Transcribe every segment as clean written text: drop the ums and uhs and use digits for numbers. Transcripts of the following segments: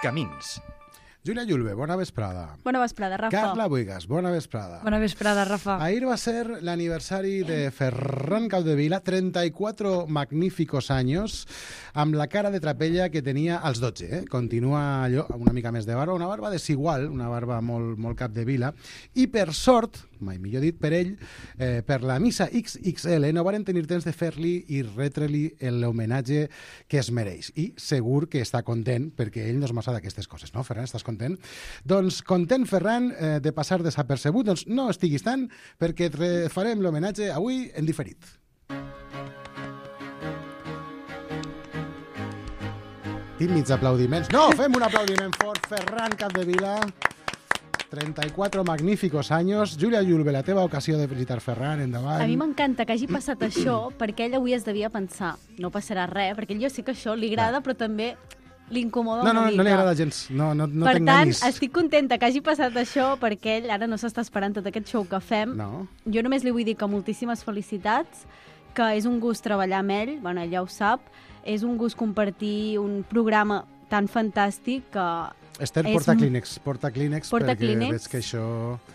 Camins. Júlia Julve, bona vesprada. Bona vesprada, Rafa. Carla Buigas, bona vesprada. Bona vesprada, Rafa. Ahir va ser l'aniversari de Ferran Capdevila, 34 magníficos años, amb la cara de trapella que tenia als 12. Continua allò, una mica més de barba, una barba desigual, una barba molt Capdevila, i per sort, mai millor dit, per ell, per la missa XXL, no varen tenir temps de fer-li i retre-li l'homenatge que es mereix. I segur que està content, perquè ell no és massa d'aquestes coses, no, Ferran? Estàs content? Doncs content, Ferran, de passar desapercebut. Doncs no estiguis tant, perquè et farem l'homenatge avui en diferit. Tímids aplaudiments. No, fem un aplaudiment fort. Ferran Capdevila, 34 magníficos años. Júlia Julve, la teva ocasió de felicitar Ferran, endavant. A mi m'encanta que hagi passat això, perquè ell avui es devia pensar, no passarà res, perquè ell jo sé que això li agrada, però també l'incomoda una mica. No li agrada gens. No per tant, estic contenta que hagi passat això, perquè ell ara no s'està esperant tot aquest show que fem. No. Jo només li vull dir que moltíssimes felicitats, que és un gust treballar amb ell, bueno, ell ja ho sap, és un gust compartir un programa tan fantàstic que... Esther, porta Kleenex, perquè Kleenex, veig que això...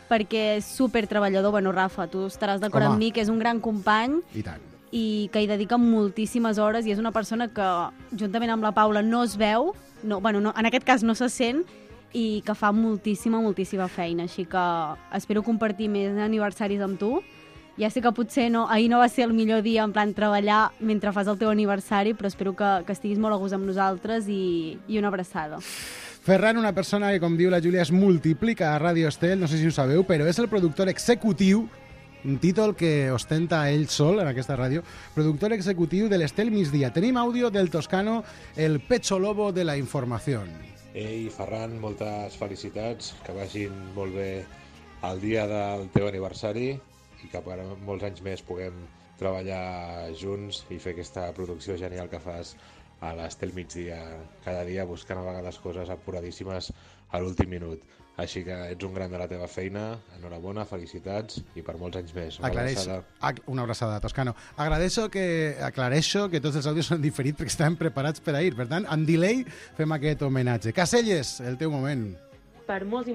Perquè és supertreballador. Bueno, Rafa, tu estaràs d'acord amb mi, que és un gran company. I tant. I que hi dedica moltíssimes hores i és una persona que, juntament amb la Paula, no es veu, en aquest cas no se sent, i que fa moltíssima feina. Així que espero compartir més aniversaris amb tu. Ja sé que potser ahir no va ser el millor dia en plan treballar mentre fas el teu aniversari, però espero que estiguis molt a gust amb nosaltres i una abraçada. Ferran, una persona que, com diu la Júlia, es multiplica a Ràdio Estel, no sé si ho sabeu, però és el productor executiu, un títol que ostenta ell sol en aquesta ràdio, productor executiu de l'Estel Migdia. Tenim àudio del toscano, el pecho lobo de la informació. Ei, Ferran, moltes felicitats, que vagin molt bé el dia del teu aniversari i que per molts anys més puguem treballar junts i fer aquesta producció genial que fas a l'Estel Migdia cada dia, buscant a vegades coses apuradíssimes a l'últim minut. Així que ets un gran de la teva feina, enhorabona, felicitats i per molts anys més. Una abraçada, Toscano. Aclareixo que tots els àudios són diferits perquè estaven preparats per ahir. Per tant, amb delay fem aquest homenatge. Caselles, el teu moment. Per molts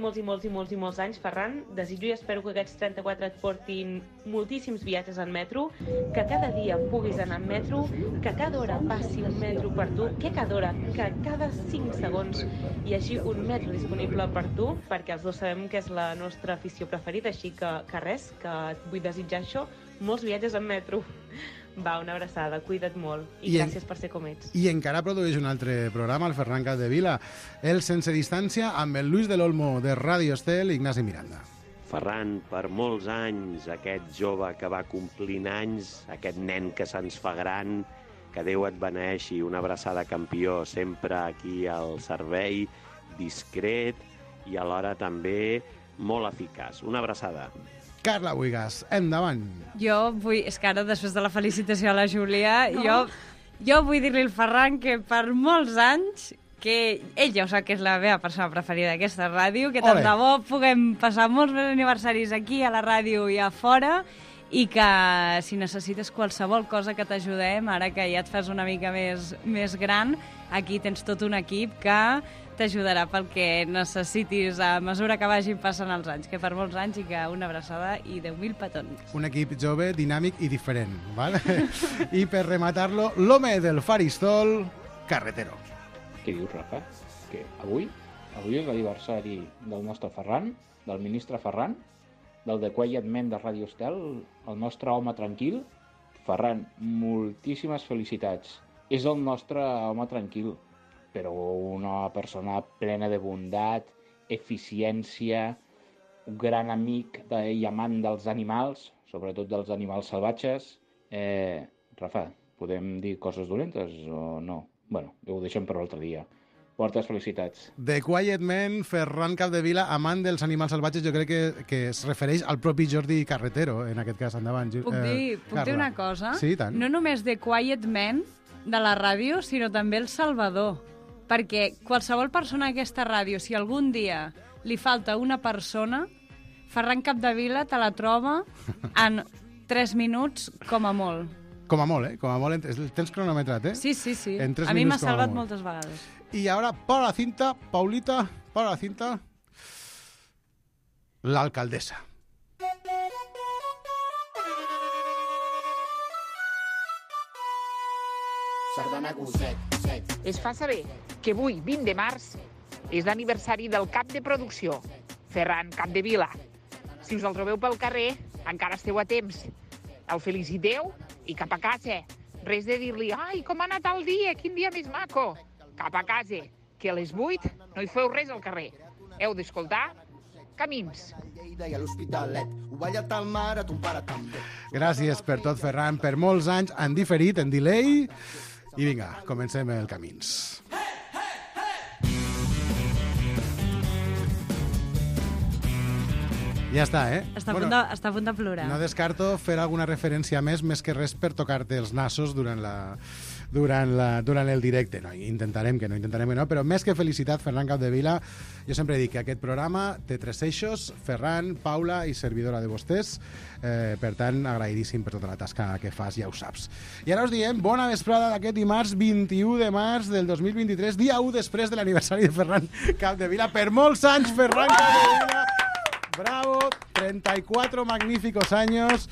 anys, Ferran, desitjo i espero que aquests 34 et portin moltíssims viatges en metro, que cada dia puguis anar en metro, que cada hora passi un metro per tu, que cada 5 segons hi hagi un metro disponible per tu, perquè els dos sabem que és la nostra afició preferida, així que res, que et vull desitjar això, molts viatges en metro. Va, una abraçada, cuida't molt i gràcies per ser com ets. I encara produeix un altre programa, el Ferran Capdevila, el Sense Distància, amb el Luis del Olmo de Ràdio Estel i Ignasi Miranda. Ferran, per molts anys, aquest jove que va complint anys, aquest nen que se'ns fa gran, que Déu et beneixi, una abraçada campió, sempre aquí al servei, discret i alhora també molt eficaç. Una abraçada. Carla Buigas, endavant. Jo vull, és que ara, després de la felicitació a la Júlia, jo vull dir-li al Ferran que per molts anys, que ell ja ho sap que és la meva persona preferida d'aquesta ràdio, que tant de bo puguem passar molts més aniversaris aquí, a la ràdio i a fora, i que si necessites qualsevol cosa que t'ajudem, ara que ja et fas una mica més gran, aquí tens tot un equip que t'ajudarà pel que necessitis a mesura que vagin passant els anys, que per molts anys i que una abraçada i 10.000 petons. Un equip jove, dinàmic i diferent, ¿vale? I per rematar-lo, l'home del faristol, Carretero. Què dius, Rafa? Que avui és l'aniversari del nostre Ferran, del ministre Ferran, del The Quiet Man de Ràdio Estel, el nostre home tranquil. Ferran, moltíssimes felicitats. És el nostre home tranquil, però una persona plena de bondat, eficiència, un gran amic i amant dels animals, sobretot dels animals salvatges. Rafa, podem dir coses dolentes o no? Bueno, ho deixem per l'altre dia. Moltes felicitats. The Quiet Man, Ferran Capdevila, amant dels animals salvatges, jo crec que es refereix al propi Jordi Carretero, en aquest cas, endavant. Puc dir una cosa? Sí, tant. No només The Quiet Man de la ràdio, sinó també El Salvador. Perquè qualsevol persona d'aquesta ràdio, si algun dia li falta una persona, Ferran Capdevila te la troba en 3 minuts com a molt. Com a molt, eh? Com a molt, tens cronometrat, eh? Sí. En 3 a mi m'ha minuts com a salvat molt. moltes vegades. Y ahora, para la cinta, Paulita, para la cinta, la alcaldesa. Es fa saber que avui, 20 de març, és l'aniversari del cap de producció, Ferran Capdevila. Si us el trobeu pel carrer, encara esteu a temps. El feliciteu i cap a casa. Res de dir-li, ai, com ha anat el dia, quin dia més maco. Cap a casa, que a les 8 no hi feu res al carrer. Heu d'escoltar Camins. Gràcies per tot, Ferran, per molts anys, en diferit, en delay. I vinga, comencem el Camins. Ja està, eh? Està a punt de plorar. No descarto fer alguna referència més que res per tocar-te els nassos durant el directe. No, intentarem que no, però més que felicitat, Ferran Capdevila, jo sempre dic que aquest programa té 3 eixos, Ferran, Paula i servidora de vostès, per tant, agraïdíssim per tota la tasca que fas, ja ho saps. I ara us diem bona vesprada d'aquest dimarts 21 de març del 2023, dia 1 després de l'aniversari de Ferran Capdevila. Per molts anys, Ferran Capdevila! Bravo, 34 magníficos años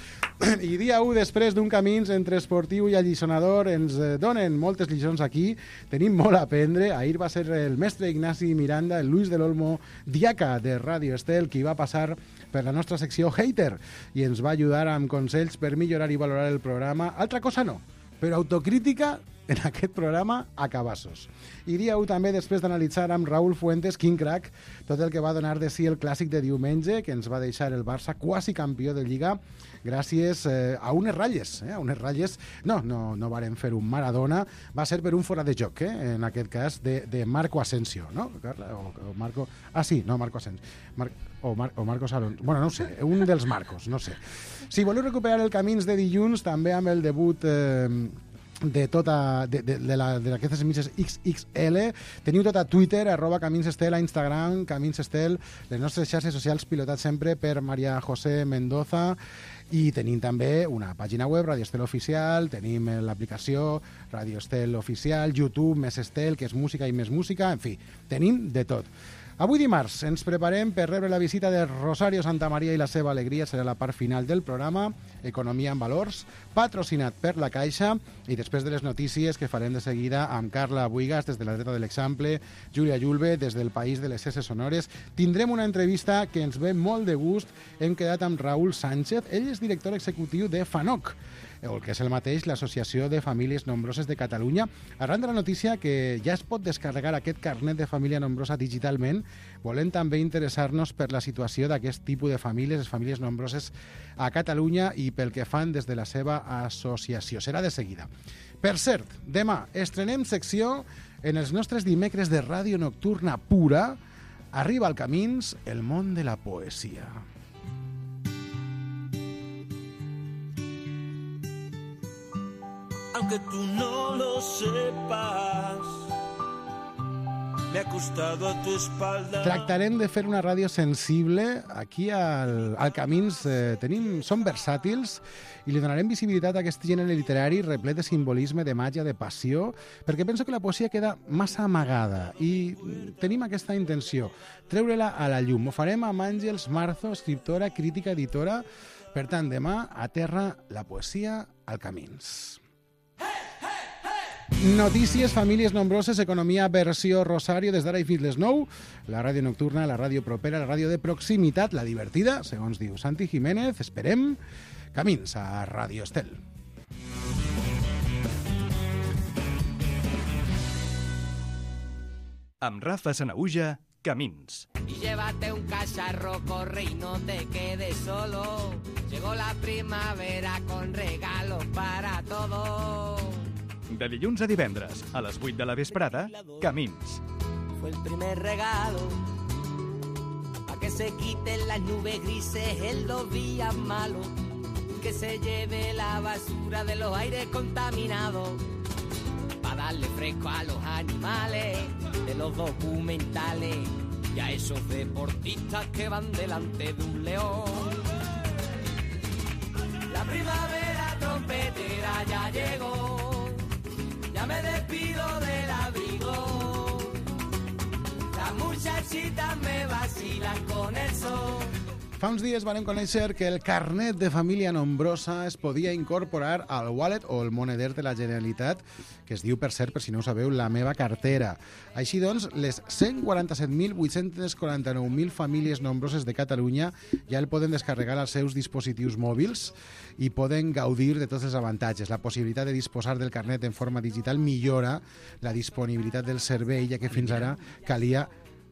i dia 1 després d'un camins entre esportiu i allisonador ens donen moltes lliçons aquí, tenim molt a aprendre. Ahir va ser el mestre Ignasi Miranda, el Luis del Olmo, diaca de Radio Estel, qui va passar per la nostra secció Hater i ens va ajudar amb consells per millorar i valorar el programa. Altra cosa no, però autocrítica en aquest programa a cabassos. I dia 1 també després d'analitzar amb Raúl Fuentes, quin crack, tot el que va donar de si el clàssic de diumenge, que ens va deixar el Barça quasi campió de Lliga, gràcies a unes ratlles. A unes ratlles, no varen fer un Maradona, va ser per un fora de joc, en aquest cas, de Marco Asensio, no? O Marco... Ah, sí, no, Marco Asensio. O Marcos Alonso. Bueno, no ho sé, un dels Marcos, no sé. Si voleu recuperar el Camins de dilluns, també amb el debut... d'aquestes emisses XXL, teniu tot a Twitter, @CaminsEstel, a Instagram, CaminsEstel, les nostres xarxes socials pilotats sempre per Maria José Mendoza, i tenim també una pàgina web, Radio Estel Oficial, tenim l'aplicació Radio Estel Oficial, YouTube, Més Estel, que és música i més música, en fi, tenim de tot. Avui dimarts ens preparem per rebre la visita de Rosario Santamaría i la seva alegria. Serà la part final del programa, Economia en Valors, patrocinat per la Caixa, i després de les notícies que farem de seguida amb Carla Buigas des de la dreta de l'Eixample, Júlia Julve des del País de les S Sonores. Tindrem una entrevista que ens ve molt de gust. Hem quedat amb Raúl Sánchez, ell és director executiu de FANOC, el que és el mateix, l'Associació de Famílies Nombroses de Catalunya, arran de la notícia que ja es pot descarregar aquest carnet de família nombrosa digitalment. Volem també interessar-nos per la situació d'aquest tipus de famílies, les famílies nombroses a Catalunya, i pel que fan des de la seva associació. Serà de seguida. Per cert, demà estrenem secció en els nostres dimecres de ràdio nocturna pura. Arriba al Camins el món de la poesia. Aunque tú no lo sepas, me ha costado a tu espalda. Tractarem de fer una ràdio sensible. Aquí al Camins som versàtils i li donarem visibilitat a aquest gènere literari replet de simbolisme, de màgia, de passió, perquè penso que la poesia queda massa amagada i tenim aquesta intenció, treure-la a la llum. Ho farem amb Àngels Marzo, escriptora, crítica, editora. Per tant, demà a terra la poesia al Camins. Notícies, famílies nombroses, economia, versió Rosario, des d'ara i fins les 9. La ràdio nocturna, la ràdio propera, la ràdio de proximitat, la divertida, segons diu Santi Jiménez. Esperem. Camins a Radio Estel. Amb Rafa Sanahuja, Camins. Y llévate un cacharro, corre y no te quedes solo. Llegó la primavera con regalos para todos. De dilluns a divendres, a les 8 de la vesprada, Camins. Fue el primer regalo, pa' que se quiten las nubes grises en los días malos, que se lleve la basura de los aires contaminados, pa' darle fresco a los animales de los documentales y a esos deportistas que van delante de un león. La primavera trompetera ya llegó, ya me despido del abrigo, la muchachita me vacila con el sol. Fa uns dies vam conèixer que el carnet de família nombrosa es podia incorporar al wallet o el moneder de la Generalitat, que es diu, per cert, per si no ho sabeu, La meva cartera. Així doncs, les 147.849.000 famílies nombroses de Catalunya ja el poden descarregar als seus dispositius mòbils i poden gaudir de tots els avantatges. La possibilitat de disposar del carnet en forma digital millora la disponibilitat del servei, ja que fins ara calia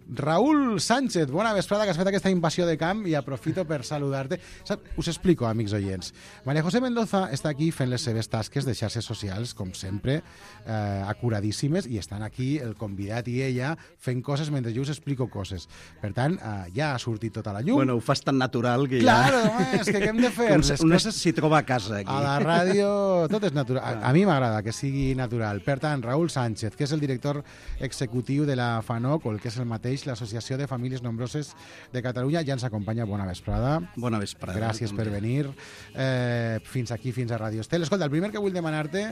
Raúl Sánchez, bona vesprada, que has fet aquesta invasió de camp i aprofito per saludar-te. Us explico, amics oients. María José Mendoza està aquí fent les seves tasques de xarxes socials, com sempre, acuradíssimes, i estan aquí el convidat i ella fent coses mentre jo us explico coses. Per tant, ja ha sortit tota la llum. Bueno, ho fas tan natural que claro, ja... és que què hem de fer? Com coses s'hi troba a casa, aquí. A la ràdio tot és natural. A mi m'agrada que sigui natural. Per tant, Raúl Sánchez, que és el director executiu de la FANOC, o el que és el mateix, l'Associació de Famílies Nombroses de Catalunya, ja ens acompanya. Bona vesprada. Bona vesprada. Gràcies per venir. Fins aquí, fins a Radio Estel. Escolta, el primer que vull demanar-te,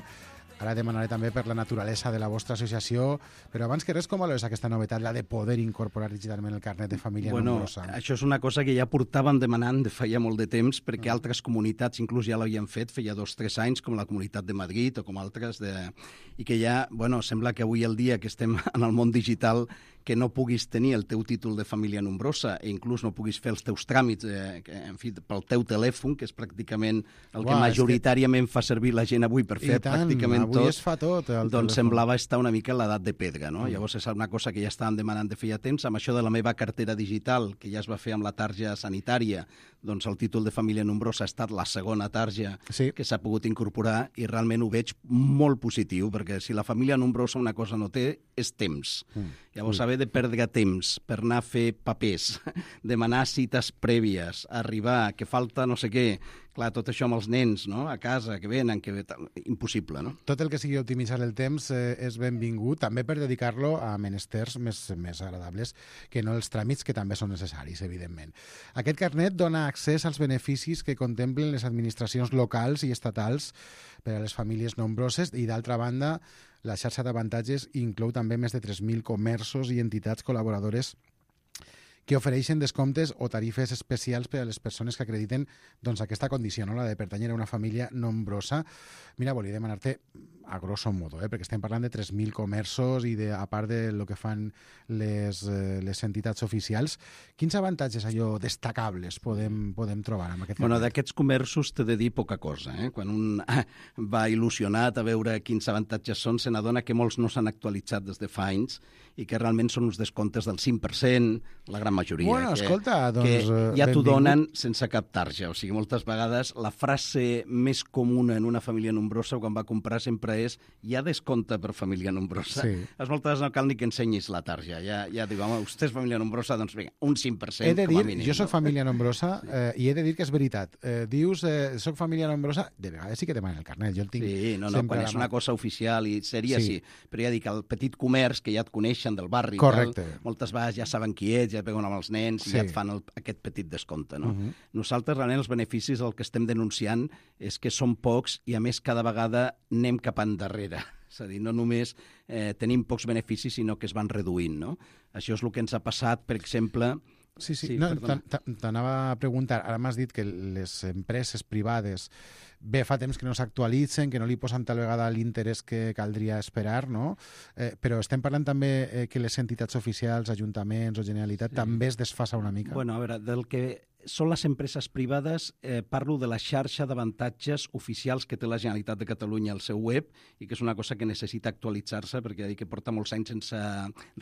ara demanaré també per la naturalesa de la vostra associació, però abans que res, com valores aquesta novetat, la de poder incorporar digitalment el carnet de família nombrosa? Això és una cosa que ja portàvem demanant de feia molt de temps, perquè altres comunitats inclús ja l'havien fet, feia 2 o 3 anys, com la Comunitat de Madrid o com altres, i que ja, bueno, sembla que avui el dia que estem en el món digital, que no puguis tenir el teu títol de família nombrosa i inclús no puguis fer els teus tràmits en fi, pel teu telèfon, que és pràcticament el que majoritàriament fa servir la gent avui per fer pràcticament tot. Avui es fa tot. Doncs semblava estar una mica a l'edat de pedra, no? Llavors és una cosa que ja estàvem demanant de feia temps. Amb això de la meva cartera digital, que ja es va fer amb la tarja sanitària, doncs el títol de família nombrosa ha estat la segona tarja que s'ha pogut incorporar i realment ho veig molt positiu, perquè si la família nombrosa una cosa no té, és temps. Llavors, haver de perdre temps per anar a fer papers, demanar cites prèvies, arribar, que falta no sé què, clar, tot això amb els nens, no?, a casa, que venen, impossible, no? Tot el que sigui optimitzar el temps és benvingut, també per dedicar-lo a menesters més agradables que no els tràmits, que també són necessaris, evidentment. Aquest carnet dona accés als beneficis que contemplen les administracions locals i estatals per a les famílies nombroses i, d'altra banda, la xarxa d'avantatges inclou també més de 3.000 comerços i entitats col·laboradores que ofereixen descomptes o tarifes especials per a les persones que acrediten doncs, aquesta condició, no? La de pertànyer a una família nombrosa. Mira, volia demanar-te, a grosso modo, perquè estem parlant de 3.000 comerços i a part de lo que fan les entitats oficials, quins avantatges allò destacables podem trobar amb aquest carnet? D'aquests comerços t'he de dir poca cosa. Quan un va il·lusionat a veure quins avantatges són, se n'adona que molts no s'han actualitzat des de fa anys i que realment són uns descomptes del 5%, la gran majoria. Bueno, escolta, doncs... Que ja t'ho donen sense cap tarja. O sigui, moltes vegades la frase més comuna en una família nombrosa quan va comprar sempre és hi ha descompte per família nombrosa. Sí. Moltes vegades no cal ni que ensenyis la tarja. Ja diu, home, vostè és família nombrosa, doncs vinga, un 5% he de com a dir, mínim. Jo soc família nombrosa i he de dir que és veritat. Dius, soc família nombrosa, de vegades sí que demanen el carnet. Jo el tinc quan és una cosa oficial i sèria, sí. Però ja dic, el petit comerç que ja et coneixen del barri, moltes vegades ja saben qui ets, ja et veuen amb els nens i ja et fan aquest petit descompte. No? Nosaltres, realment, els beneficis el que estem denunciant és que són pocs i, a més, cada vegada anem cap endarrere. És a dir, no només tenim pocs beneficis, sinó que es van reduint. No? Això és el que ens ha passat, per exemple... Sí, no, t'anava a preguntar, ara m'has dit que les empreses privades fa temps que no s'actualitzen, que no li posen tal vegada l'interès que caldria esperar, no? Però estem parlant també que les entitats oficials, ajuntaments o Generalitat també es desfasa una mica. Bueno, a veure, del que són les empreses privades, parlo de la xarxa d'avantatges oficials que té la Generalitat de Catalunya al seu web i que és una cosa que necessita actualitzar-se perquè ja dic que porta molts anys sense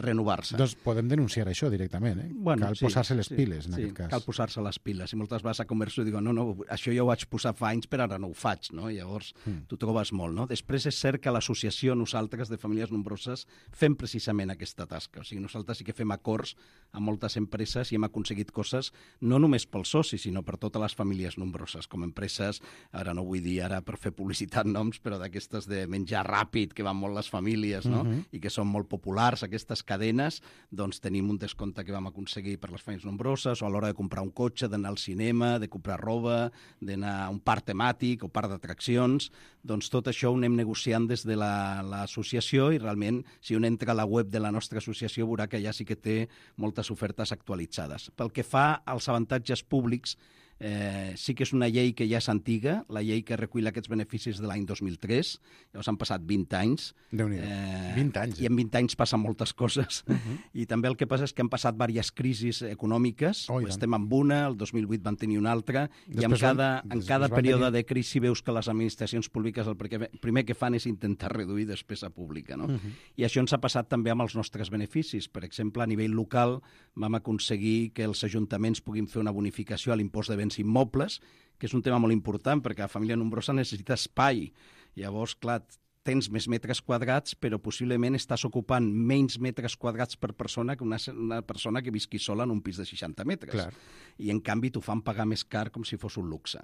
renovar-se. Doncs podem denunciar això directament, eh? Bueno, cal posar-se les piles, en aquest cas. Cal posar-se les piles. I moltes vegades a comerç diuen, no, això ja ho vaig posar fa anys, però ara no ho faig, no? Llavors t'ho trobes molt, no? Després és cert que a l'associació nosaltres de famílies nombroses fem precisament aquesta tasca. O sigui, nosaltres sí que fem acords amb moltes empreses i hem aconseguit coses no només pels socis, sinó per totes les famílies nombroses, com empreses, ara no vull dir ara per fer publicitat noms, però d'aquestes de menjar ràpid, que van molt les famílies, no? I que són molt populars, aquestes cadenes, doncs tenim un descompte que vam aconseguir per les famílies nombroses, o a l'hora de comprar un cotxe, d'anar al cinema, de comprar roba, d'anar a un parc temàtic o parc d'atraccions, doncs tot això ho anem negociant des de l'associació i realment, si un entra a la web de la nostra associació, veurà que allà sí que té moltes ofertes actualitzades. Pel que fa als avantatges públics, sí que és una llei que ja és antiga, la llei que recull aquests beneficis de l'any 2003, llavors han passat 20 anys. Déu-n'hi-do, 20 anys. I en 20 anys passen moltes coses. I també el que passa és que han passat diverses crisis econòmiques, estem amb una, el 2008 van tenir una altra, i en cada període de crisi veus que les administracions públiques el primer que fan és intentar reduir despesa pública, no? I això ens ha passat també amb els nostres beneficis. Per exemple, a nivell local vam aconseguir que els ajuntaments puguin fer una bonificació a l'impost de béns immobles, que és un tema molt important perquè la família nombrosa necessita espai. Llavors, clar, tens més metres quadrats, però possiblement estàs ocupant menys metres quadrats per persona que una persona que visqui sola en un pis de 60 metres. Clar. I, en canvi, t'ho fan pagar més car com si fos un luxe.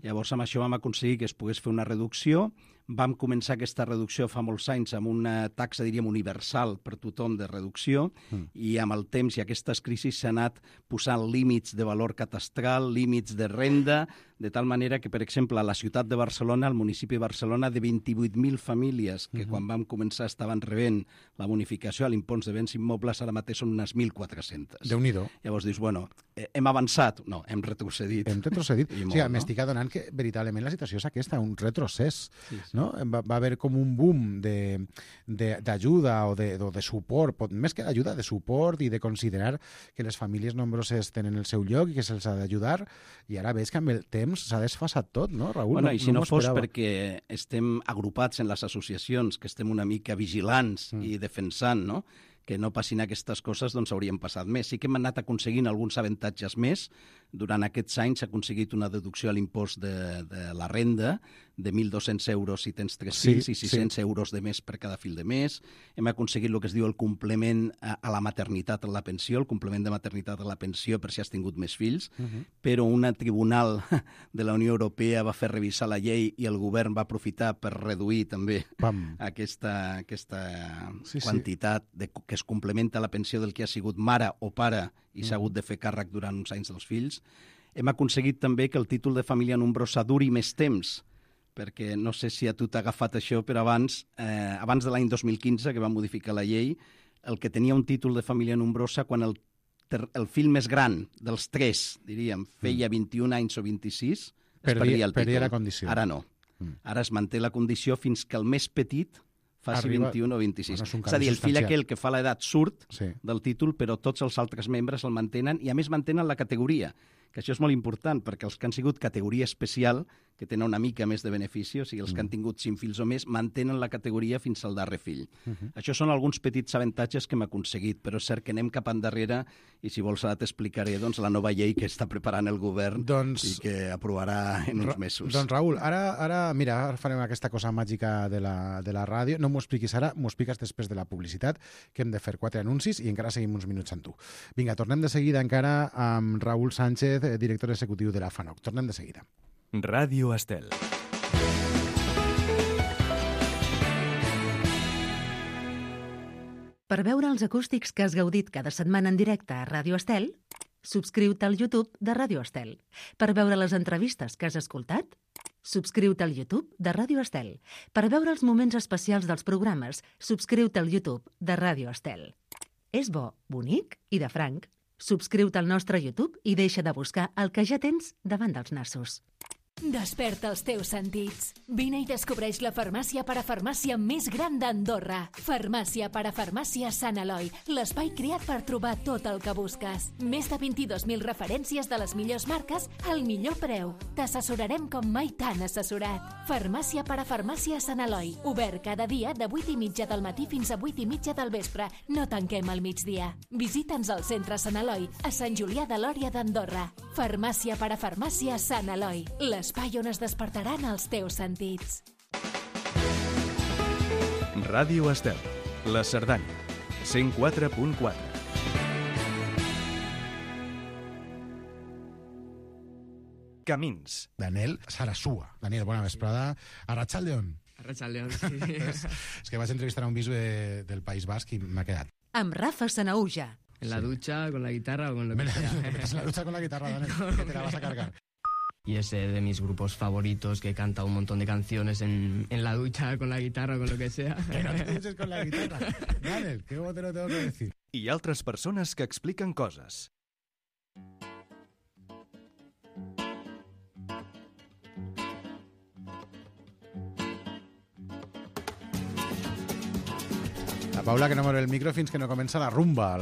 Llavors, amb això vam aconseguir que es pogués fer una reducció. Vam començar aquesta reducció fa molts anys amb una taxa, diríem, universal per tothom de reducció, i amb el temps i aquestes crisis s'ha anat posant límits de valor catastral, límits de renda, de tal manera que, per exemple, a la ciutat de Barcelona, al municipi de Barcelona, de 28.000 famílies que quan vam començar estaven rebent la bonificació a l'impost de béns immobles, ara mateix són unes 1.400. Déu-n'hi-do. Llavors dius, bueno, hem avançat? No, hem retrocedit. Hem retrocedit. O sigui, m'estic adonant que veritablement la situació és aquesta, un retrocés. No? Va haver com un boom d'ajuda o de suport, més que d'ajuda, de suport i de considerar que les famílies nombroses tenen el seu lloc i que se'ls ha d'ajudar, i ara veig que amb el temps s'ha desfasat tot, no, Raül? Bueno, i si no fos perquè estem agrupats en les associacions, que estem una mica vigilants i defensant, no?, que no passin aquestes coses, doncs haurien passat més. Sí que hem anat aconseguint alguns avantatges més. Durant aquests anys s'ha aconseguit una deducció a l'impost de la renda de 1.200 euros si tens 3 fills i 600 euros de més per cada fill de més. Hem aconseguit el que es diu el complement a la maternitat a la pensió, el complement de maternitat a la pensió per si has tingut més fills, però un tribunal de la Unió Europea va fer revisar la llei i el govern va aprofitar per reduir també aquesta quantitat que es complementa la pensió del que ha sigut mare o pare i s'ha hagut de fer càrrec durant uns anys dels fills. Hem aconseguit també que el títol de família nombrosa duri més temps, perquè no sé si a tu t'ha agafat això, però abans de l'any 2015, que va modificar la llei, el que tenia un títol de família nombrosa, quan el fill més gran dels 3, diríem, feia 21 anys o 26, es perdia el títol. Perdia la condició. Ara no. Ara es manté la condició fins que el més petit faci 21 o 26. És a dir, el fill aquell que fa l'edat surt del títol, però tots els altres membres el mantenen, i a més mantenen la categoria, que això és molt important, perquè els que han sigut categoria especial, que tenen una mica més de benefici, o sigui, els que han tingut 5 fills o més, mantenen la categoria fins al darrer fill. Això són alguns petits avantatges que hem aconseguit, però és cert que anem cap endarrere, i si vols ara t'explicaré la nova llei que està preparant el govern i que aprovarà en uns mesos. Doncs Raül, ara farem aquesta cosa màgica de la ràdio. No m'ho expliquis ara, m'ho expliques després de la publicitat, que hem de fer 4 anuncis i encara seguim uns minuts amb tu. Vinga, tornem de seguida encara amb Raül Sánchez, director executiu de la FANOC. Tornem de seguida. Ràdio Estel. Per veure els acústics que has gaudit cada setmana en directe a Ràdio Estel, subscriu-te al YouTube de Ràdio Estel. Per veure les entrevistes que has escoltat, subscriu-te al YouTube de Ràdio Estel. Per veure els moments especials dels programes, subscriu-te al YouTube de Ràdio Estel. És bo, bonic i de franc. Subscriu-te al nostre YouTube i deixa de buscar el que ja tens davant dels nassos. Desperta els teus sentits. Vine i descobreix la farmàcia parafarmàcia més gran d'Andorra. Farmàcia parafarmàcia Sant Eloi, l'espai creat per trobar tot el que busques. Més de 22.000 referències de les millors marques al millor preu. T'assessorarem com mai t'han assessorat. Farmàcia parafarmàcia Sant Eloi, obert cada dia de 8:30 del matí fins a 8:30 del vespre. No tanquem al migdia. Visita'ns al centre Sant Eloi, a Sant Julià de Lòria d'Andorra. Farmàcia parafarmàcia Sant Eloi, l'espai on es despertaran els teus sentits. Ràdio Estel, la Cerdanya, 104.4. Camins. Daniel Sarasúa. Daniel, bona vesprada. Arratsaldeon. Arratsaldeon, sí. És que vaig entrevistar a un bisbe del País Basc i m'ha quedat. Amb Rafa Sanauja. En la ducha, con la guitarra o con lo que sea. En la ducha con la guitarra, Daniel, que te la vas a cargar. Y es de mis grupos favoritos, que canta un montón de canciones en la ducha, con la guitarra o con lo que sea. Que no te duches con la guitarra. Daniel, ¿qué te lo tengo que decir? I altres persones que expliquen coses. La Paula, que no mor el micro fins que no comença la rumba.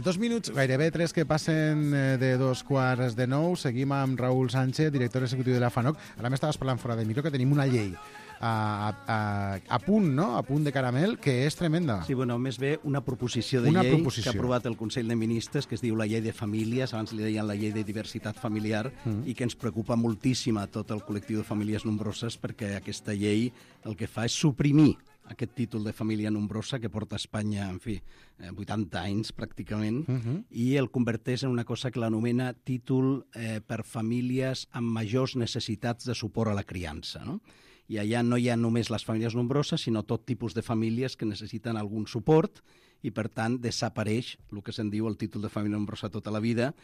2 minuts, gairebé 3 que passen de 2:45. Seguim amb Raül Sánchez, director executiu de la FANOC. Ara m'estaves parlant fora del micro que tenim una llei a punt, no? A punt de caramel, que és tremenda. Sí, bueno, més bé una proposició de llei que ha aprovat el Consell de Ministres, que es diu la llei de famílies, abans li deien la llei de diversitat familiar, i que ens preocupa moltíssim a tot el col·lectiu de famílies nombroses, perquè aquesta llei el que fa és suprimir aquest títol de família nombrosa que porta a Espanya, en fi, 80 anys pràcticament, i el converteix en una cosa que l'anomena títol per famílies amb majors necessitats de suport a la criança, no? I allà no hi ha només les famílies nombroses, sinó tot tipus de famílies que necessiten algun suport i, per tant, desapareix el que se'n diu el títol de família nombrosa tota la vida,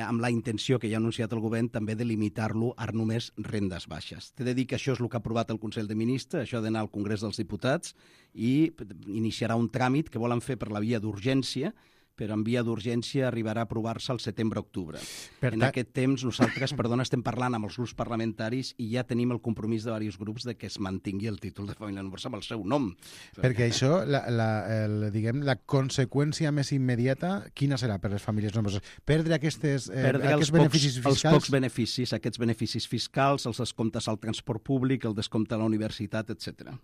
amb la intenció que ja ha anunciat el govern també de limitar-lo a només rendes baixes. T'he de dir que això és el que ha aprovat el Consell de Ministres, això ha d'anar al Congrés dels Diputats i iniciarà un tràmit que volen fer per la via d'urgència, però en via d'urgència arribarà a aprovar-se al setembre-octubre. En aquest temps nosaltres, estem parlant amb els grups parlamentaris i ja tenim el compromís de diversos grups de que es mantingui el títol de família nombrosa amb el seu nom. Perquè això, la conseqüència més immediata, quina serà per les famílies nombroses? Perdre aquests beneficis fiscals? Els pocs beneficis, aquests beneficis fiscals, els descomptes al transport públic, el descompte a la universitat, etc.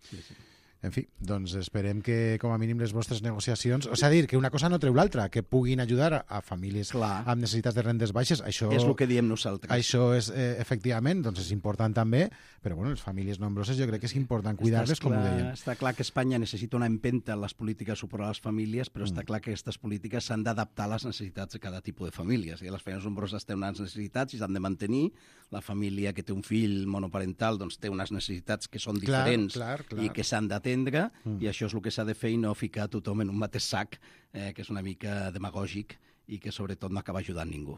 Sí. En fi, doncs esperem que, com a mínim, les vostres negociacions... O sigui, dir que una cosa no treu l'altra, que puguin ajudar a famílies amb necessitats de rendes baixes. Això és el que diem nosaltres. Això és, efectivament, doncs és important també, però bueno, les famílies nombroses jo crec que és important cuidar-les, com ho deien. Està clar que Espanya necessita una empenta en les polítiques de suport a les famílies, però està clar que aquestes polítiques s'han d'adaptar a les necessitats de cada tipus de famílies. I les famílies nombroses tenen unes necessitats i s'han de mantenir. La família que té un fill monoparental doncs, té unes necessitats que són diferents i que s'han d'atendre, i això és el que s'ha de fer i no ficar tothom en un mateix sac, que és una mica demagògic i que sobretot no acaba ajudant ningú.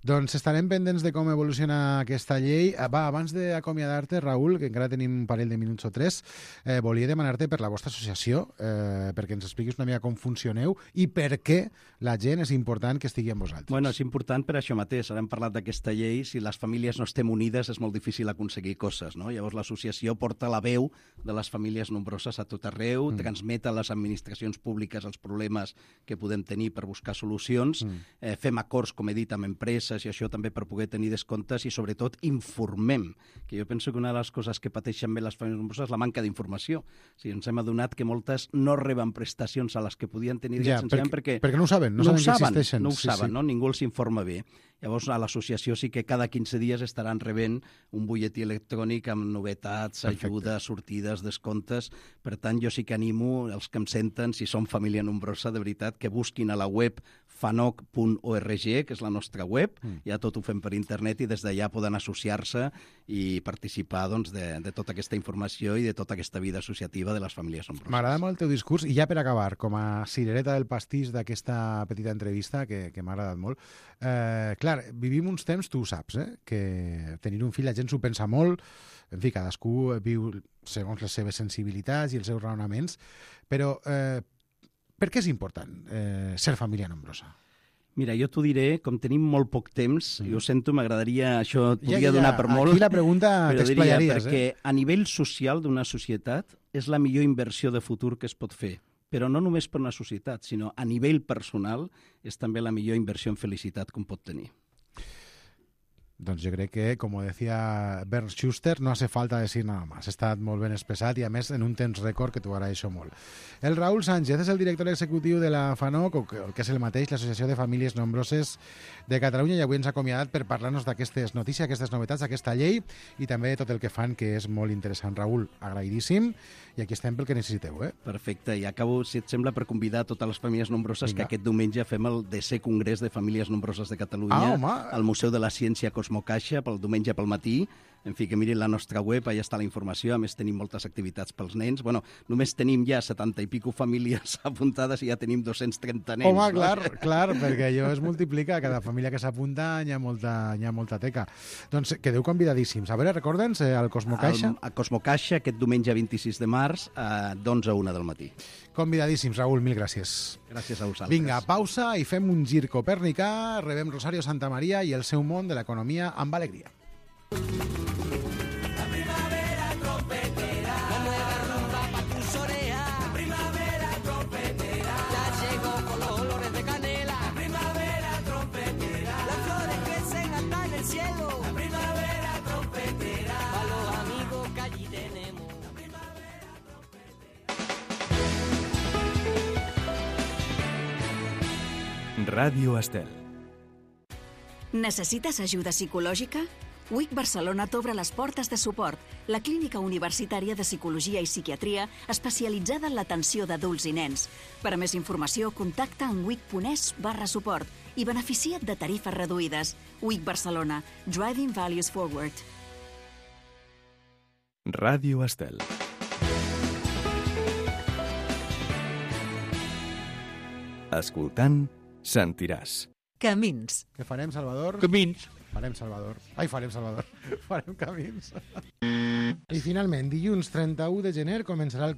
Doncs estarem pendents de com evoluciona aquesta llei. Va, abans d'acomiadar-te, Raül, que encara tenim un parell de minuts o 3, volia demanar-te per la vostra associació, perquè ens expliquis una mica com funcioneu i per què la gent és important que estigui amb vosaltres. Bueno, és important per això mateix. Ara hem parlat d'aquesta llei. Si les famílies no estem unides és molt difícil aconseguir coses, no? Llavors l'associació porta la veu de les famílies nombroses a tot arreu, transmet a les administracions públiques els problemes que podem tenir per buscar solucions, fem acords, com he dit, amb empreses, i això també per poder tenir descomptes i sobretot informem, que jo penso que una de les coses que pateixen bé les famílies nombroses és la manca d'informació. O sigui, ens hem adonat que moltes no reben prestacions a les que podien tenir perquè no ho saben, no saben que existeixen. No ho saben, no? Ningú els informa bé. Llavors, a l'associació sí que cada 15 dies estaran rebent un butlletí electrònic amb novetats, ajudes, sortides, descomptes. Per tant, jo sí que animo els que em senten, si són família nombrosa, de veritat, que busquin a la web fanoc.org, que és la nostra web, ja tot ho fem per internet i des d'allà poden associar-se i participar de tota aquesta informació i de tota aquesta vida associativa de les famílies nombroses. M'agrada molt el teu discurs i ja per acabar, com a cirereta del pastís d'aquesta petita entrevista que m'ha agradat molt, clar, vivim uns temps, tu ho saps, que tenir un fill la gent s'ho pensa molt, en fi, cadascú viu segons les seves sensibilitats i els seus raonaments, però per què és important ser família nombrosa? Mira, jo t'ho diré, com tenim molt poc temps, jo ho sento, m'agradaria, això podria donar per molt. Aquí la pregunta t'explayaries, perquè a nivell social d'una societat és la millor inversió de futur que es pot fer, però no només per una societat, sinó a nivell personal és també la millor inversió en felicitat que un pot tenir. Doncs jo crec que, com decía Bernd Schuster, no hace falta decir nada más. Està molt ben expressat i, a més, en un temps rècord que t'ho agraeixo molt. El Raül Sánchez és el director executiu de la FANOC, o que és el mateix, l'Associació de Famílies Nombroses de Catalunya, i avui ens ha acomiadat per parlar-nos d'aquestes notícies, aquestes novetats, d'aquesta llei i també de tot el que fan, que és molt interessant. Raül, agraïdíssim, i aquí estem pel que necessiteu. Perfecte, i acabo, si et sembla, per convidar totes les famílies nombroses. Vinga. Que aquest diumenge fem el 10è Congrés de Famílies Nombroses de Catalunya al Museu de la Ciència Cosmocaixa, pel diumenge pel matí. En fi, que mirin la nostra web, allà està la informació. A més, tenim moltes activitats pels nens. Bueno, només tenim ja 70 i pico famílies apuntades i ja tenim 230 nens. Home, clar, perquè allò es multiplica. Cada família que s'apunta hi ha molta teca. Doncs quedeu convidadíssims. A veure, recorda'ns, al Cosmocaixa. A Cosmocaixa, aquest diumenge 26 de març, d'11 a 1 del matí. Convidadíssims, Raül, mil gràcies. Gràcies a vosaltres. Vinga, pausa i fem un gir copernicà. Rebem Rosario Santamaría i el seu món de l'economia amb alegria. La primavera trompetera, nueva rumba pa' tus orejas. La primavera trompetera, ya llegó con los olores de canela. La primavera trompetera, las flores crecen hasta en el cielo. La primavera trompetera, para los amigos que allí tenemos. La primavera trompetera. Ràdio Estel. Necessites ajuda psicològica? WIC Barcelona t'obre les portes de suport, la clínica universitària de psicologia i psiquiatria especialitzada en l'atenció d'adults i nens. Per a més informació, contacta en wic.es/suport i beneficia't de tarifes reduïdes. WIC Barcelona, Driving Values Forward. Ràdio Estel. Escoltant, sentiràs. Camins. Què farem, Salvador? Camins. Farem Salvador. Farem camins. I finalment, dilluns 31 de gener començarà el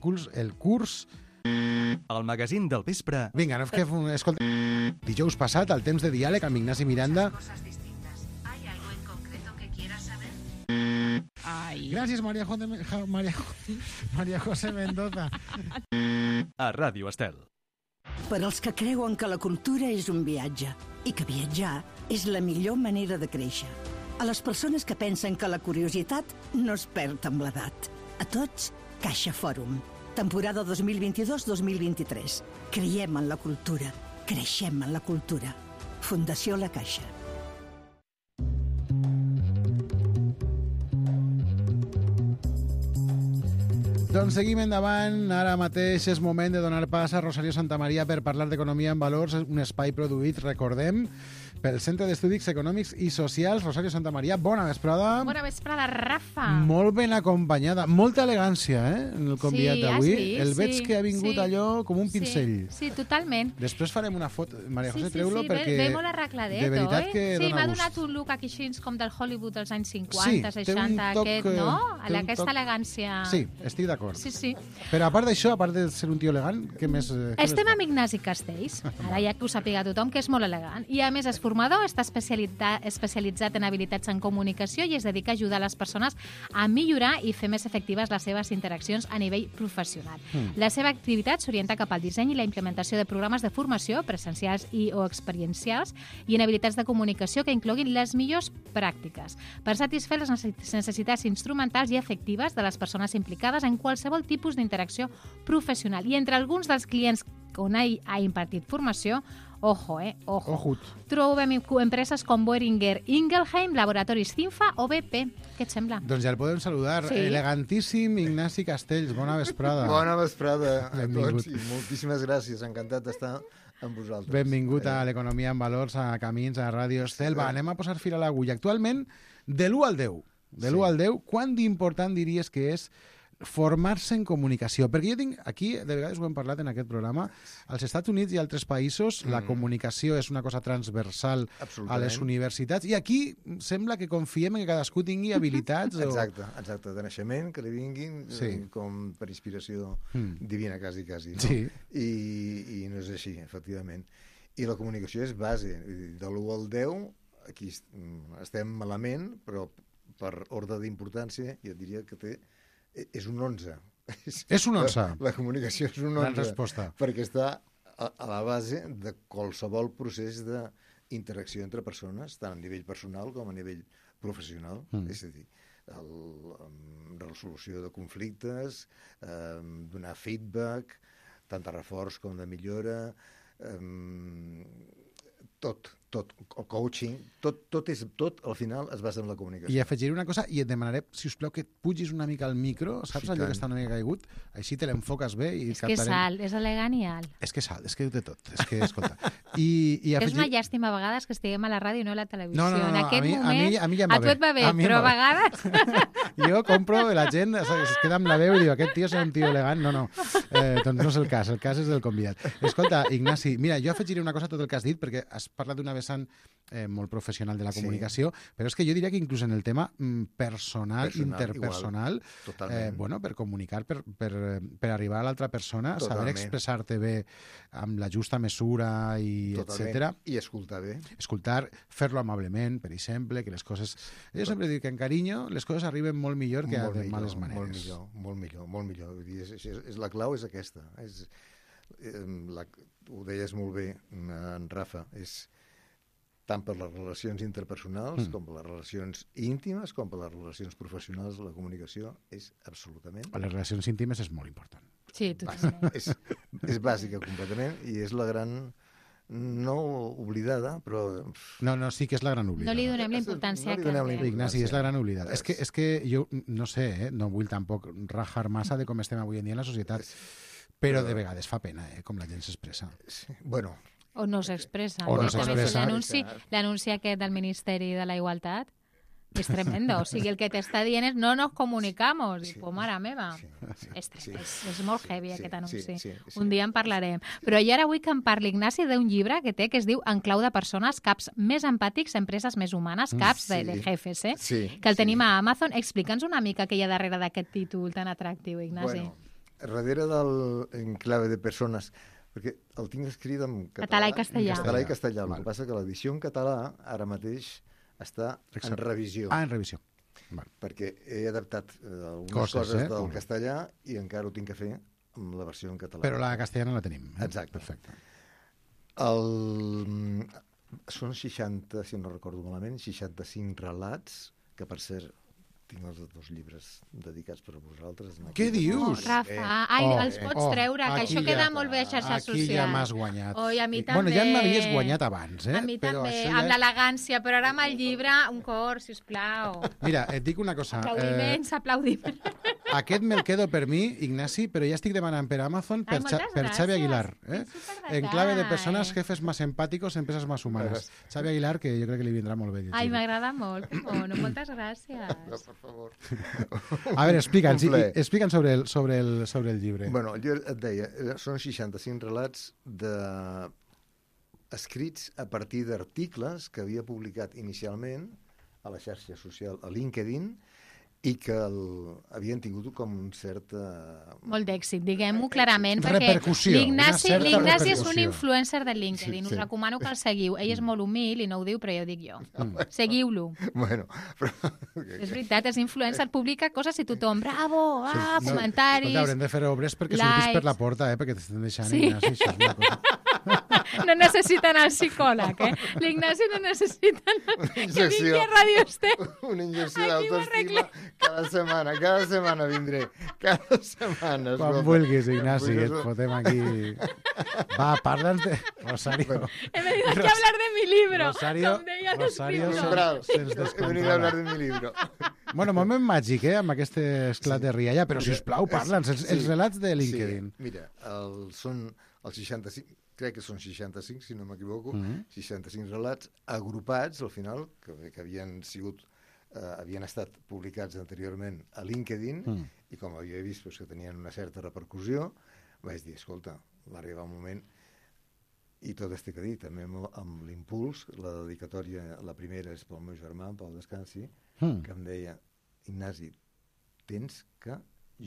curs... El magazín del vespre. Vinga, no escolta. Dijous passat, al temps de diàleg amb Ignasi Miranda. Gràcies, María José Mendoza. A Ràdio Estel. Per als que creuen que la cultura és un viatge i que viatjar és la millor manera de créixer. A les persones que pensen que la curiositat no es perd amb l'edat. A tots, Caixa Fòrum. Temporada 2022-2023. Creiem en la cultura. Creixem en la cultura. Fundació La Caixa. Doncs seguim endavant. Ara mateix és moment de donar pas a Rosario Santamaría per parlar d'economia en valors, un espai produït, recordem, pel Centre d'Estudis Econòmics i Socials. Rosario Santamaría, bona vesprada. Bona vesprada, Rafa. Molt ben acompanyada, molta elegància, en el convidat d'avui. El veig que ha vingut allò com un pincell. Sí, totalment. Després farem una foto. Maria José, treu-lo perquè... Ve molt arregladet, de veritat que sí, dona m'ha gust. donat un look aquí així com del Hollywood dels anys 50, 60, aquest, no? Aquesta elegància. Sí, estic d'acord. Sí. Però a part d'això, a part de ser un tio elegant, què més... Estem amb Ignasi Castells, ara ja que ho sàpiga tothom, que és molt elegant. I a més és formador, està especialitzat en habilitats en comunicació i es dedica a ajudar les persones a millorar i fer més efectives les seves interaccions a nivell professional. La seva activitat s'orienta cap al disseny i la implementació de programes de formació, presencials i o experiencials, i en habilitats de comunicació que incloguin les millors pràctiques, per satisfer les necessitats instrumentals i efectives de les persones implicades en qualsevol tipus d'interacció professional. I entre alguns dels clients on ha impartit formació, ojo. Trobem empreses com Boehringer Ingelheim, Laboratoris Cinfa o BP. Què et sembla? Doncs ja el podem saludar. Sí. Elegantíssim Ignasi Castells, bona vesprada. Bona vesprada a tots i moltíssimes gràcies. Encantat d'estar amb vosaltres. Benvingut a l'Economia en Valors, a Camins, a Ràdio Estel. Va, anem a posar fil a l'agulla. Actualment, de l'1 al 10, al 10, quant d'important diries que és formar-se en comunicació? Perquè jo tinc, aquí, de vegades ho hem parlat en aquest programa, als Estats Units i altres països la comunicació és una cosa transversal a les universitats, i aquí sembla que confiem en que cadascú tingui habilitats. Exacte, de naixement, que li vinguin com per inspiració divina, quasi. No? Sí. I no és així, efectivament. I la comunicació és base. De l'1 al 10, aquí estem malament, però per ordre d'importància, jo diria que és un 11. És un 11? La comunicació és un 11. Gran resposta. Perquè està a la base de qualsevol procés d'interacció entre persones, tant a nivell personal com a nivell professional, és a dir, resolució de conflictes, donar feedback, tant de reforç com de millora, tot, el coaching, tot al final es basa en la comunicació. I afegiré una cosa, i et demanaré, si us plau, que et pugis una mica al micro, saps allò que està una mica caigut? Així te l'enfoques bé i és que és alt, és elegant i alt. És que és alt, és que ho té tot. És que, escolta... I és una llàstima a vegades que estiguem a la ràdio i no a la televisió. No, en aquest moment, a mi ja em va a tu et va bé, però a vegades... Jo compro, la gent es queda amb la veu i diu, aquest tio és un tio elegant. No. Doncs no és el cas és del convidat. Escolta, Ignasi, mira, jo afegiré una cosa a tot el que has dit, perquè has parlat d'una vessant molt professional de la comunicació, però és que jo diria que inclús en el tema personal interpersonal, bueno, per comunicar, per arribar a l'altra persona, saber expressar-te bé amb la justa mesura i etcètera. I escoltar bé. Escoltar, fer-lo amablement, per exemple, que les coses... Jo sempre dic que en carinyo les coses arriben molt millor que de males maneres. Molt millor. La clau és aquesta. Ho deies molt bé, en Rafa, és tant per les relacions interpersonals com per les relacions íntimes com per les relacions professionals, la comunicació és absolutament... Les relacions íntimes és molt important. Sí, totalment. És bàsica completament i és la gran... no oblidada, però... No, sí que és la gran oblidada. No li donem la importància que té. Ignasi, és la gran oblidada. És que jo no sé, no vull tampoc rajar massa de com estem avui en dia en la societat, però de vegades fa pena, com la gent s'expressa. Bueno... O no s'expressa. O no s'expressa. L'anunci aquest del Ministeri de la Igualtat és tremendo. O sigui, el que t'està dient és no nos comunicamos. I, pues, mare meva. És molt heavy, aquest anunci. Un dia en parlarem. Però jo ara vull que em parli, Ignasi, d'un llibre que té, que es diu En clau de persones, caps més empàtics, empreses més humanes, caps de jefes, que el tenim a Amazon. Explica'ns una mica què hi ha darrere d'aquest títol tan atractiu, Ignasi. Bueno, darrere del En clave de persones, perquè el tinc escrit en català i castellà. Català i castellà. El que passa que l'edició en català ara mateix està en revisió. En revisió. Perquè he adaptat algunes coses del castellà i encara ho tinc que fer amb la versió en català. Però la castellana la tenim. Exacte. Perfecte. Són 60, si no recordo malament, 65 relats, que per cert tinc els dos llibres dedicats per a vosaltres. Què dius? Rafa, els pots treure, que això queda molt bé a xarxes socials. Aquí ja m'has guanyat. Oi, a mi també. Bueno, ja m'havies guanyat abans, A mi també, amb l'elegància, però ara amb el llibre, un cor, sisplau. Mira, et dic una cosa. Aplaudiments. Aquest me'l quedo per mi, Ignasi, però ja estic demanant per Amazon per Xavi Aguilar. En clave de persones, jefes más empáticos, empresas más humanas. Xavi Aguilar, que jo crec que li vindrà molt bé. Ai, m'agrada molt. Moltes gràcies. Per favor. A veure, explica'ns sobre el llibre. Bueno, jo et deia, són 65 relats escrits a partir d'articles que havia publicat inicialment a la xarxa social, a LinkedIn, i que havien tingut com un cert... Molt d'èxit, diguem-ho clarament, perquè l'Ignasi és un influencer de LinkedIn, us recomano que el seguiu. Ell és molt humil i no ho diu, però ja ho dic jo. Seguiu-lo. Bueno, però... És veritat, és influencer, publica coses i tothom, bravo, comentaris... Escolta, haurem de fer obres perquè surtis per la porta, perquè t'estan deixant, Ignasi, això és una cosa... No necessiten el psicòleg, L'Ignasi no necessita que vingui a Ràdio Estel. Una injecció d'autoestima cada setmana vindré. Cada setmana. Quan vulguis, Ignasi, et fotem aquí. Va, parla'ns de... Rosario. He venido aquí a hablar de mi libro. Rosario, he venido a hablar de mi libro. Bueno, moment màgic, amb aquest esclat de rialla, però sisplau, parla'ns, els relats de LinkedIn. Mira, són els 65... crec que són 65, si no m'equivoco, 65 relats agrupats, al final, que havien estat publicats anteriorment a LinkedIn, i com havia vist que tenien una certa repercussió, vaig dir, escolta, va arribar un moment, i tot estic a dir, també amb l'impuls, la dedicatòria, la primera és pel meu germà, en Pau Descansi, que em deia, Ignasi, tens que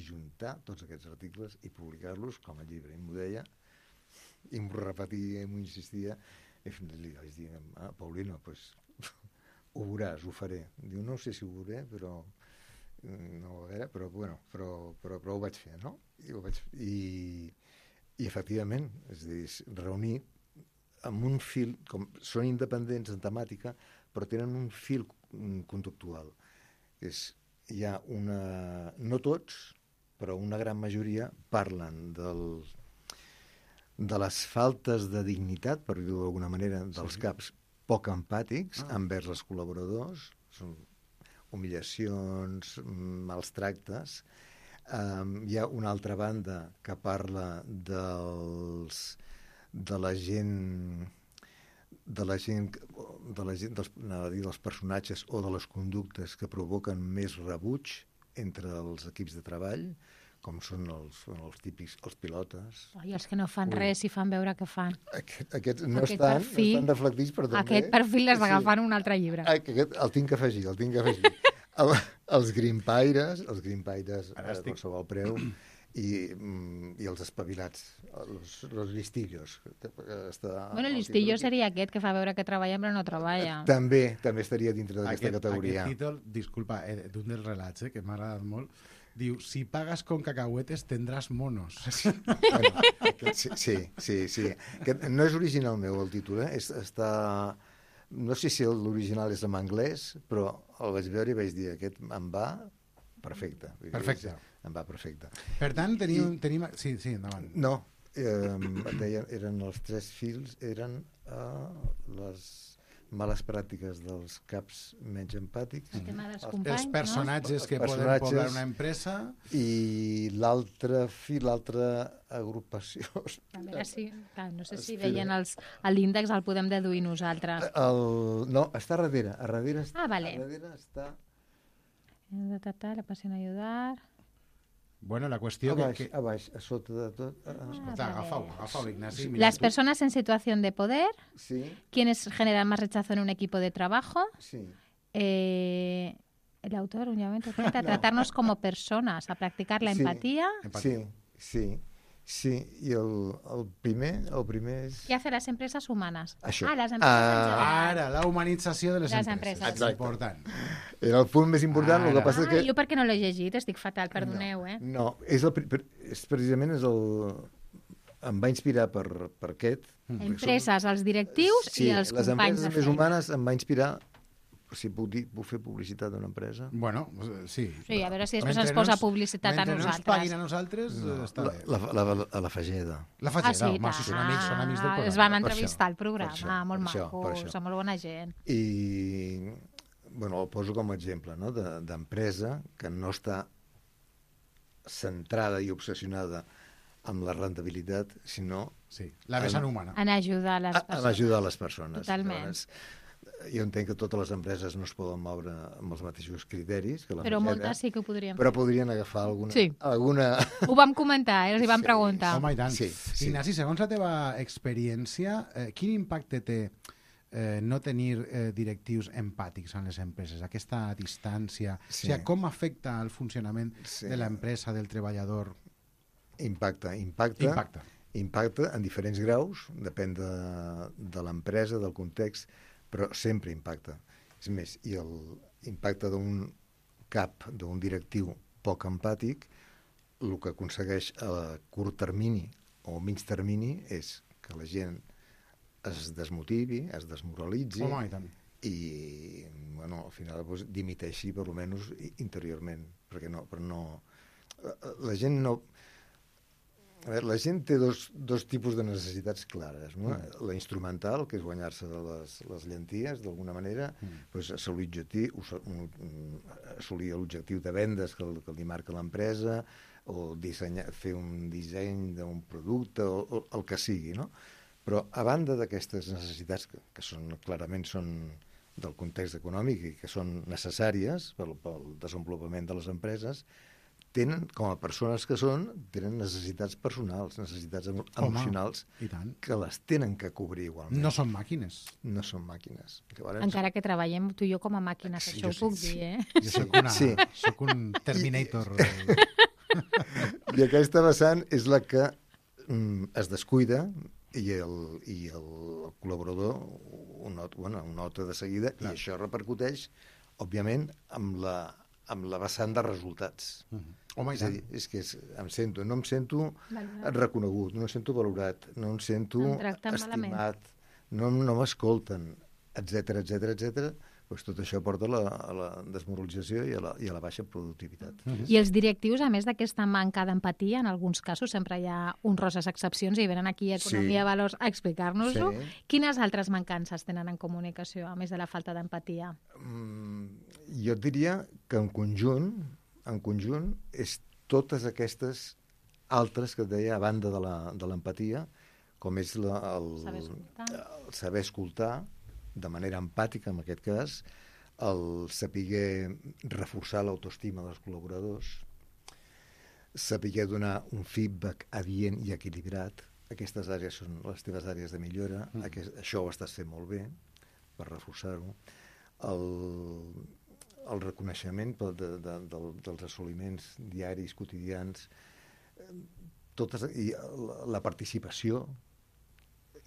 juntar tots aquests articles i publicar-los com a llibre. I m'ho deia, i m'ho repetia, m'ho insistia, i fins li vaig dir, Paulino, pues, ho veuràs, ho faré. Diu, no sé si ho veuré, però no ho veuré, però ho vaig fer, no? I efectivament, és a dir, reunir amb un fil, com són independents en temàtica, però tenen un fil conductual. Hi ha una... No tots, però una gran majoria parlen de les faltes de dignitat, per dir-ho d'alguna manera, dels caps poc empàtics envers els col·laboradors, són humiliacions, mals tractes. Hi ha una altra banda que parla dels personatges o de les conductes que provoquen més rebuig entre els equips de treball, com són els típics, els pilotes. I els que no fan res i fan veure que fan. Aquests no estan reflectits, però també... Aquest perfil l'has d'agafar en un altre llibre. El tinc que afegir. Els grimpaires a qualsevol preu, i els espavilats, els listillos. El listillo seria aquest que fa veure que treballa però no treballa. També estaria dintre d'aquesta categoria. Aquest títol, disculpa, d'un dels relats, que m'ha agradat molt, diu, si pagas con cacahuetes tendrás monos. Sí. No és original meu, el títol, està... No sé si l'original és en anglès, però el vaig veure i vaig dir, aquest em va perfecte. Perfecte. Em va perfecte. Per tant, tenim... Sí, endavant. No, eren els 3 fils, eren les males pràctiques dels caps menys empàtics, els personatges que poden poblar una empresa, i l'altre fil, l'altra agrupació. No sé si veien l'índex, el podem deduir nosaltres. No, està a darrere. A darrere està... La passió en ajudar... Bueno, la qüestió a baix, a sota de tot. Agafau, Ignasi. Las personas en situación de poder, quienes generan más rechazo en un equipo de trabajo, el autor, un llamamiento a tratarnos como personas, a practicar la empatía. Sí, i el primer és... Què hace las empresas humanas? Això. Les empreses en general. Ara, la humanització de les empreses. Exacte. Important. Era el punt més important, el que passa que... Jo perquè no l'he llegit, estic fatal, perdoneu, No, precisament em va inspirar per aquest. Empreses, els directius i els companys de feina. Les empreses més humanes em va inspirar, si puc fer publicitat d'una empresa. Bueno, sí. Sí, a veure si després ens posa publicitat a nosaltres. Mentre no ens paguin a nosaltres, està bé. A la Fageda. La Fageda, home, si són amics del programa. Es van entrevistar al programa, molt macos, són molt bona gent. I, bueno, el poso com a exemple, no?, d'empresa que no està centrada i obsessionada amb la rendibilitat, sinó... Sí, la vessant humana. En ajudar les persones. En ajudar les persones. Totalment. Jo entenc que totes les empreses no es poden moure amb els mateixos criteris que la però moltes sí que ho podrien fer. Però podrien agafar alguna... Sí. Ho vam comentar, els hi vam preguntar. Home, i tant. Ignasi, segons la teva experiència, quin impacte té no tenir directius empàtics en les empreses, aquesta distància? O sigui, com afecta el funcionament de l'empresa, del treballador? Impacta en diferents graus, depèn de l'empresa, del context, però sempre impacta. És més, i l'impacte d'un cap, d'un directiu poc empàtic, el que aconsegueix a curt termini o a mig termini és que la gent es desmotivi, es desmoralitzi i, bueno, al final dimiteixi, per almenys interiorment, perquè la gent no... A veure, la gent té dos tipus de necessitats clares, no? La instrumental, que és guanyar-se les llenties, d'alguna manera, assolir l'objectiu de vendes que li marca l'empresa, o fer un disseny d'un producte, o el que sigui, no? Però, a banda d'aquestes necessitats, que clarament són del context econòmic i que són necessàries pel desenvolupament de les empreses, tenen, com a persones que són, tenen necessitats personals, necessitats emocionals, que les tenen que cobrir igualment. No són màquines. No són màquines. Encara que treballem tu i jo com a màquines, això ho puc dir, Jo soc un Terminator. I aquesta vessant és la que es descuida i el col·laborador ho nota de seguida, i això repercuteix, òbviament, amb la vessant de resultats. Home, és a dir, és que no em sento reconegut, no em sento valorat, no em sento estimat, no m'escolten, etc, doncs tot això porta a la desmoralització i a la baixa productivitat. I els directius, a més d'aquesta manca d'empatia, en alguns casos sempre hi ha honroses excepcions i venen aquí a Economia Valors a explicar-nos-ho. Quines altres mancances tenen en comunicació, a més de la falta d'empatia? Jo et diria que en conjunt, és totes aquestes altres que et deia a banda de l'empatia, com és el saber escoltar de manera empàtica, en aquest cas, el saber reforçar l'autoestima dels col·laboradors, saber donar un feedback adient i equilibrat. Aquestes àrees són les teves àrees de millora, això ho estàs fent molt bé, per reforçar-ho. El reconeixement dels assoliments diaris, quotidians, i la participació,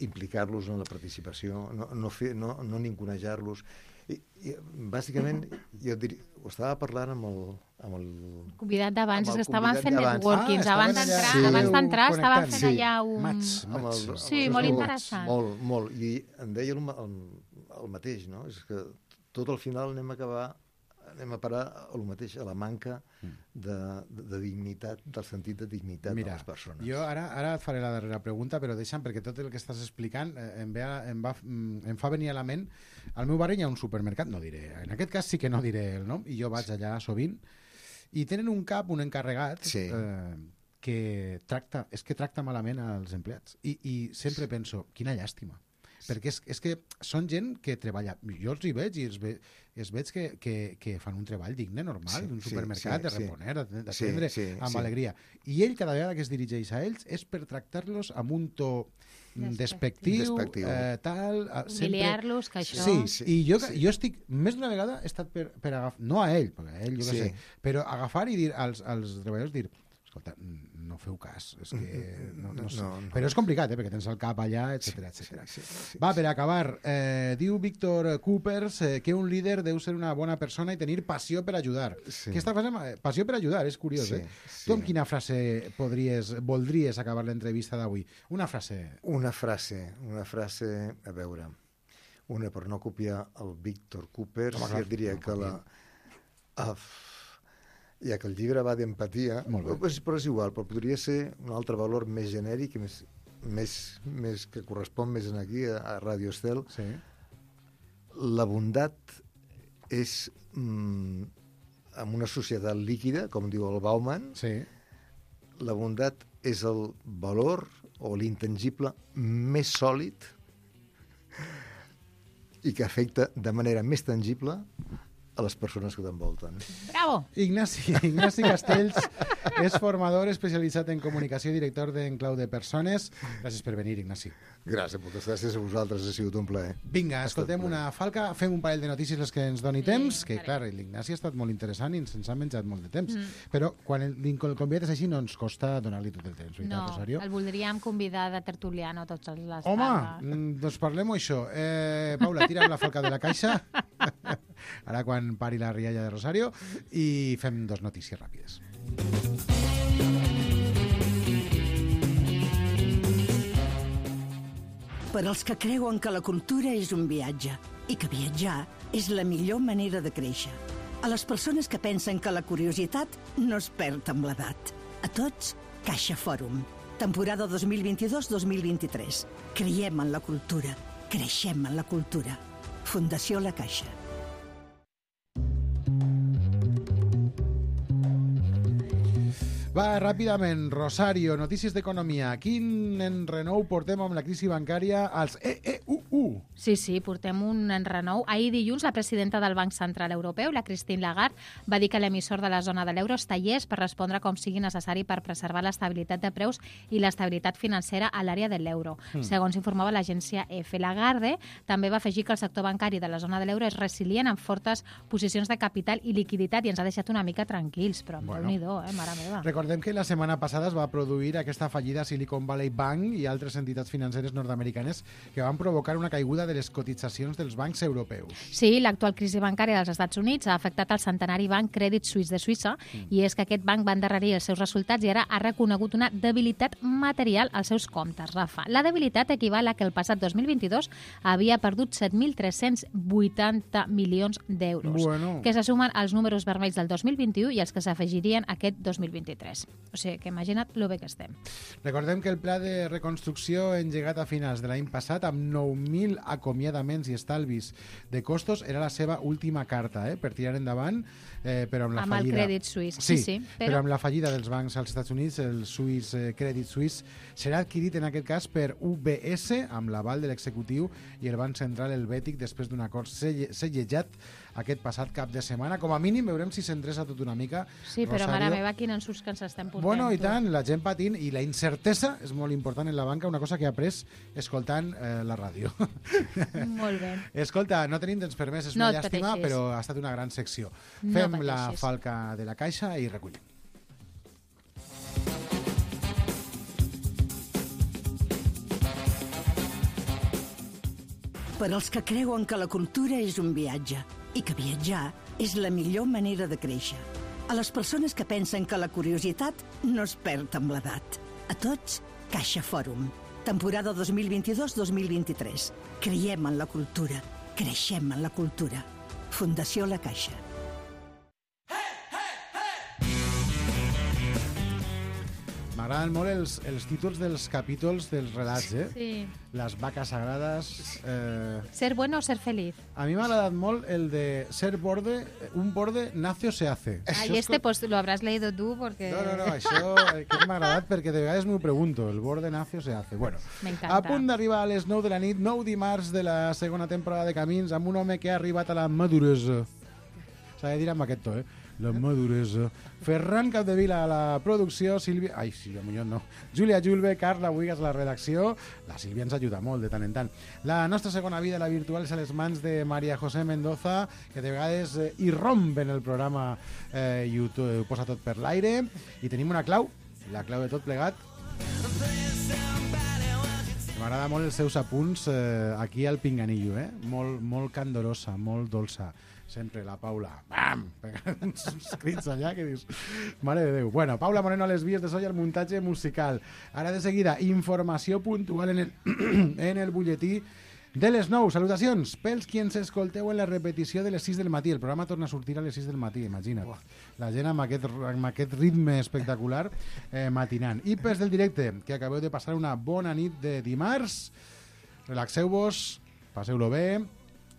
implicar-los en la participació, no ningunejar-los. Bàsicament, jo diria, ho estava parlant amb el convidat d'abans, és que estaven fent networkings. Abans d'entrar estaven fent allà un... Sí, molt interessant. Molt. I em deia el mateix, no? És que tot al final anem a parar al mateix, a la manca de dignitat, del sentit de dignitat de les persones. Jo ara et faré la darrera pregunta, però deixa'm, perquè tot el que estàs explicant em fa venir a la ment. Al meu barri hi ha un supermercat, no diré, en aquest cas sí que no diré el nom, i jo vaig allà sovint, i tenen un encarregat que tracta malament als empleats. I sempre penso, quina llàstima. Perquè és que són gent que treballa. Jo els hi veig i els veig que fan un treball digne, normal, d'un supermercat, de reponer, d'atendre amb alegria. I ell, cada vegada que es dirigeix a ells, és per tractar-los amb un to despectiu, tal... Humiliar-los, que això... Sí, i jo estic... Més d'una vegada he estat per agafar... No a ell, perquè a ell jo què sé, però agafar i dir als treballadors, dir... Escolta, no feu cas, és que no sé. Però és complicat, perquè tens el cap allà, etcètera. Va, per acabar, diu Víctor Coopers que un líder deu ser una bona persona i tenir passió per ajudar. Aquesta frase, passió per ajudar, és curiós, Tu amb quina frase voldries acabar l'entrevista d'avui? Una frase, a veure, una per no copiar el Víctor Coopers, jo diria que ja que el llibre va d'empatia, però és igual, però podria ser un altre valor més genèric, més que correspon més aquí a Radio Estel. La bondat és, en una societat líquida, com diu el Bauman, la bondat és el valor o l'intangible més sòlid i que afecta de manera més tangible a les persones que t'envolten. Bravo! Ignasi Castells és formador especialitzat en comunicació i director d'Enclau de Persones. Gràcies per venir, Ignasi. Gràcies, moltes gràcies a vosaltres, ha sigut un plaer. Vinga, escoltem una falca, fem un parell de notícies les que ens doni temps, que clar, l'Ignasi ha estat molt interessant i ens ha menjat molt de temps, però quan el convidat és així no ens costa donar-li tot el temps, veritat, Rosario? El voldríem convidar de tertuliano tots les tardes. Home, doncs parlem-ho això. Paula, tira'm la falca de la caixa, ara quan pari la rialla de Rosario, i fem dos notícies ràpides. Per als que creuen que la cultura és un viatge i que viatjar és la millor manera de créixer. A les persones que pensen que la curiositat no es perd amb l'edat. A tots, Caixa Fòrum. Temporada 2022-2023. Creiem en la cultura. Creixem en la cultura. Fundació La Caixa. Va, ràpidament, Rosario, notícies d'economia. Quin enrenou portem amb la crisi bancària als EEUU? Sí, portem un enrenou. Ahir dilluns, la presidenta del Banc Central Europeu, la Christine Lagarde, va dir que l'emissor de la zona de l'euro està llest per respondre com sigui necessari per preservar l'estabilitat de preus i l'estabilitat financera a l'àrea de l'euro. Segons informava l'agència EFE. Lagarde també va afegir que el sector bancari de la zona de l'euro és resilient amb fortes posicions de capital i liquiditat i ens ha deixat una mica tranquils, però Déu-n'hi-do, mare meva. Recordem que la setmana passada es va produir aquesta fallida Silicon Valley Bank i altres entitats financeres nord-americanes que van provocar una caiguda de les cotitzacions dels bancs europeus. Sí, l'actual crisi bancària dels Estats Units ha afectat el centenari banc Credit Suisse de Suïssa i és que aquest banc va endarrerir els seus resultats i ara ha reconegut una debilitat material als seus comptes, Rafa. La debilitat equival a que el passat 2022 havia perdut 7.380 milions d'euros, que se sumen als números vermells del 2021 i els que s'afegirien aquest 2023. O sigui, que imagina't lo bé que estem. Recordem que el pla de reconstrucció engegat a finals de l'any passat amb 9.000 acomiadaments i estalvis de costos era la seva última carta per tirar endavant, però amb la fallida... Amb el Credit Suisse, sí. Però amb la fallida dels bancs als Estats Units, el Swiss Credit Suisse serà adquirit en aquest cas per UBS amb l'aval de l'executiu i el Banc Central Helvètic després d'un acord sellejat aquest passat cap de setmana. Com a mínim veurem si s'endreça tot una mica. Sí, però mare meva, quin ensurs que ens estem portant. Bueno, i tant, la gent patint i la incertesa és molt important en la banca, una cosa que he après escoltant la ràdio. Molt bé. Escolta, no tenim temps per més, és una llàstima, però ha estat una gran secció. Fem la falca de la caixa i recullim. Per als que creuen que la cultura és un viatge i que viatjar és la millor manera de créixer. A les persones que pensen que la curiositat no es perd amb l'edat. A tots, Caixa Fòrum. Temporada 2022-2023. Creiem en la cultura. Creixem en la cultura. Fundació La Caixa. M'agraden molt els títols dels capítols dels relats, Sí. Les vaques sagrades... Ser bueno o ser feliz. A mi m'ha agradat molt el de ser borde, un borde nacio se hace. Y este pues lo habrás leído tú porque... No, això que m'ha agradat perquè de vegades m'ho pregunto, el borde nacio se hace. Bueno, m'encanta. A punt d'arribar a les 9 de la nit, 9 dimarts de la segona temporada de Camins, amb un home que ha arribat a la maduresa. S'ha de dir amb aquest to, la maduresa. Ferran Capdevila a la producció, Sílvia Muñoz no. Júlia Julve, Carla Buigas a la redacció. La Sílvia ens ajuda molt de tant en tant. La nostra segona vida, la virtual, és a les mans de Maria José Mendoza, que de vegades irromp en el programa i ho posa tot per l'aire. I tenim una clau, la clau de tot plegat. M'agrada molt els seus apunts aquí al Pinganillo, molt candorosa, molt dolça. Sempre la Paula, bam, pegant uns crits allà que dius, mare de Déu. Bueno, Paula Moreno a les vies de so i al muntatge musical. Ara de seguida, informació puntual en el butlletí de les 9. Salutacions pels qui ens escolteu en la repetició de les 6 del matí. El programa torna a sortir a les 6 del matí, imagina't. La gent amb aquest ritme espectacular matinant. I pels del directe, que acabeu de passar una bona nit de dimarts. Relaxeu-vos, passeu-lo bé.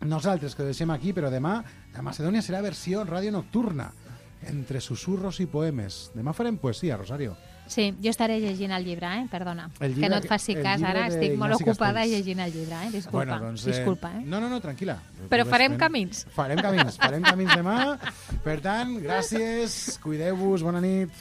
Nosaltres que ho deixem aquí, però demà la Macedònia serà versió ràdio nocturna, entre susurros i poemes. Demà farem poesia, Rosario. Sí, jo estaré llegint el llibre, perdona. Que no et faci cas, ara estic molt ocupada llegint el llibre, disculpa. Bueno, doncs, disculpa. No, tranquil·la. Però farem camins. Farem camins demà. Per tant, gràcies, cuideu-vos, bona nit.